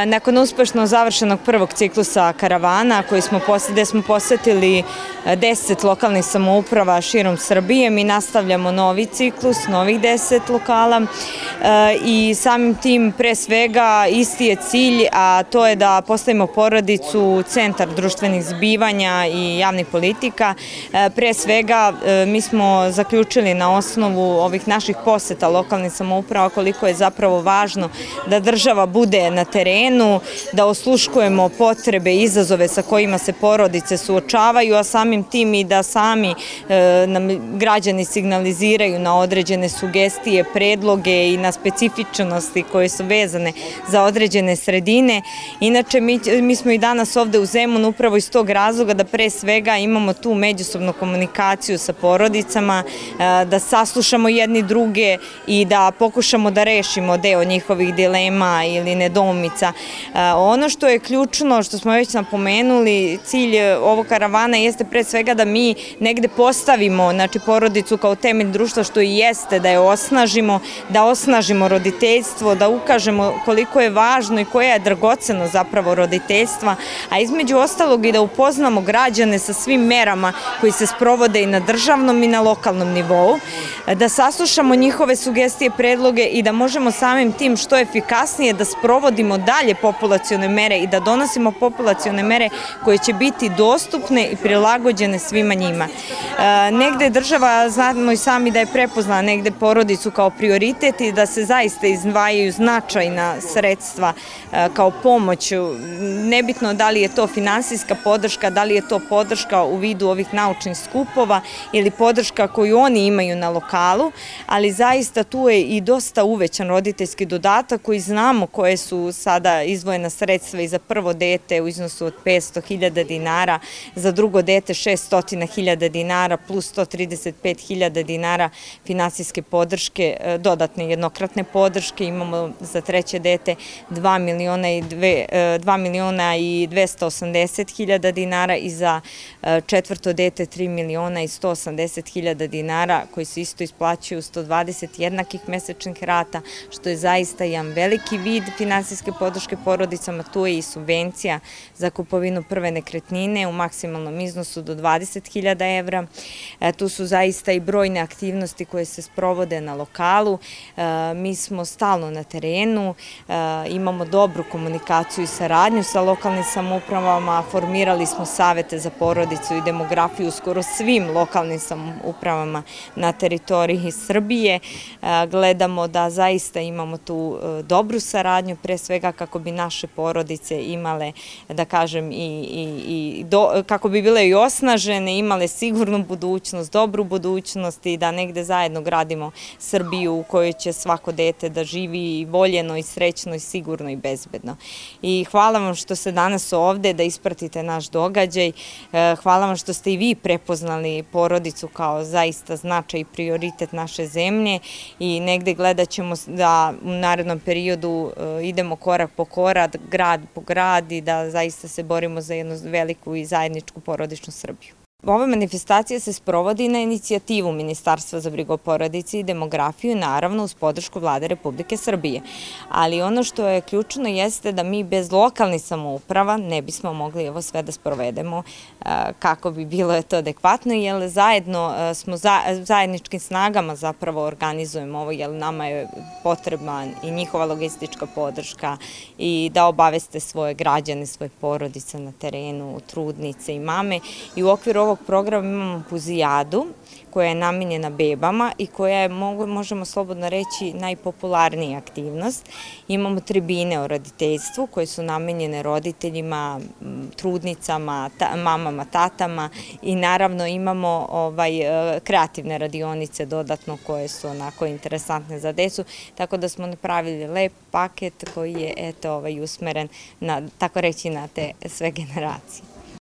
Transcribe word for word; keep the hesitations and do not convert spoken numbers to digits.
Nakon uspešno završenog prvog ciklusa karavana gde smo posetili deset lokalnih samouprava širom Srbije, mi nastavljamo novi ciklus, novih deset lokala i samim tim pre svega isti je cilj, a to je da postavimo porodicu u centar društvenih zbivanja i javnih politika. Pre svega mi smo zaključili na osnovu ovih naših poseta lokalnih samouprava koliko je zapravo važno da država bude na terenu, da osluškujemo potrebe i izazove sa kojima se porodice suočavaju, a samim tim i da sami nam građani signaliziraju na određene sugestije, predloge i na specifičnosti koje su vezane za određene sredine. Inače, mi smo i danas ovde u Zemunu upravo iz tog razloga da pre svega imamo tu međusobnu komunikaciju sa porodicama, da saslušamo jedni druge i da pokušamo da rešimo deo njihovih dilema ili nedoumica. Ono što je ključno, što smo već napomenuli, cilj ovog karavana jeste pre svega da mi negde postavimo porodicu kao temelj društva, što i jeste, da je osnažimo, da osnažimo roditeljstvo, da ukažemo koliko je važno i koja je dragoceno zapravo roditeljstva, a između ostalog i da upoznamo građane sa svim merama koji se sprovode i na državnom i na lokalnom nivou, da saslušamo njihove sugestije, predloge i da možemo samim tim što efikasnije da sprovodimo dalje populacione mere i da donosimo populacione mere koje će biti dostupne i prilagođene svima njima. Negde država, znamo i sami da je prepoznala negde porodicu kao prioritet i da se zaista izdvajaju značajna sredstva kao pomoć. Nebitno da li je to finansijska podrška, da li je to podrška u vidu ovih naučnih skupova ili podrška koju oni imaju na lokalu, ali zaista tu je i dosta uvećan roditeljski dodatak koji znamo koje su sada izdvojena sredstva i za prvo dete u iznosu od petsto hiljada dinara, za drugo dete šeststo hiljada dinara plus sto trideset pet hiljada dinara finansijske podrške, dodatne jednokratne podrške. Imamo za treće dete dva miliona i dvesta osamdeset hiljada dinara i za četvrto dete tri miliona i sto osamdeset hiljada dinara koji se isto isplaćuju sto dvadeset jednakih mesečnih rata, što je zaista jedan veliki vid finansijske podrške porodicama. Tu je i subvencija za kupovinu prve nekretnine u maksimalnom iznosu do dvadeset hiljada evra. Tu su zaista i brojne aktivnosti koje se sprovode na lokalu. Mi smo stalno na terenu, imamo dobru komunikaciju i saradnju sa lokalnim samoupravama, formirali smo savete za porodicu i demografiju u skoro svim lokalnim samoupravama na teritoriji Srbije. Gledamo da zaista imamo tu dobru saradnju, pre svega kako bi naše porodice imale, da kažem, i kako bi bile i osnažene, imale sigurnu budućnost, dobru budućnost i da negde zajedno gradimo Srbiju u kojoj će svako dete da živi voljeno i srećno i sigurno i bezbedno. I hvala vam što ste danas ovde, da ispratite naš događaj. Hvala vam što ste i vi prepoznali porodicu kao zaista značaj i prioritet naše zemlje i negde gledat ćemo da u narednom periodu idemo korak po korak, grad po grad i da zaista se borimo za jednu veliku i zajedničku porodičnu Srbiju. Ova manifestacija se sprovodi na inicijativu Ministarstva za brigu o porodici i demografiju, naravno uz podršku Vlade Republike Srbije. Ali ono što je ključno jeste da mi bez lokalnih samouprava ne bismo mogli ovo sve da sprovedemo kako bi bilo to adekvatno, jer zajedno smo zajedničkim snagama zapravo organizujemo ovo, jer nama je potrebna i njihova logistička podrška i da obaveste svoje građane, svoje porodice na terenu, trudnice i mame. I u okviru ovog programa imamo puzijadu koja je namenjena bebama i koja je, možemo slobodno reći, najpopularnija aktivnost. Imamo tribine o roditeljstvu koje su namenjene roditeljima, trudnicama, mamama, tatama i naravno imamo kreativne radionice dodatno koje su onako interesantne za decu, tako da smo napravili lep paket koji je usmeren, tako reći, na te sve generacije.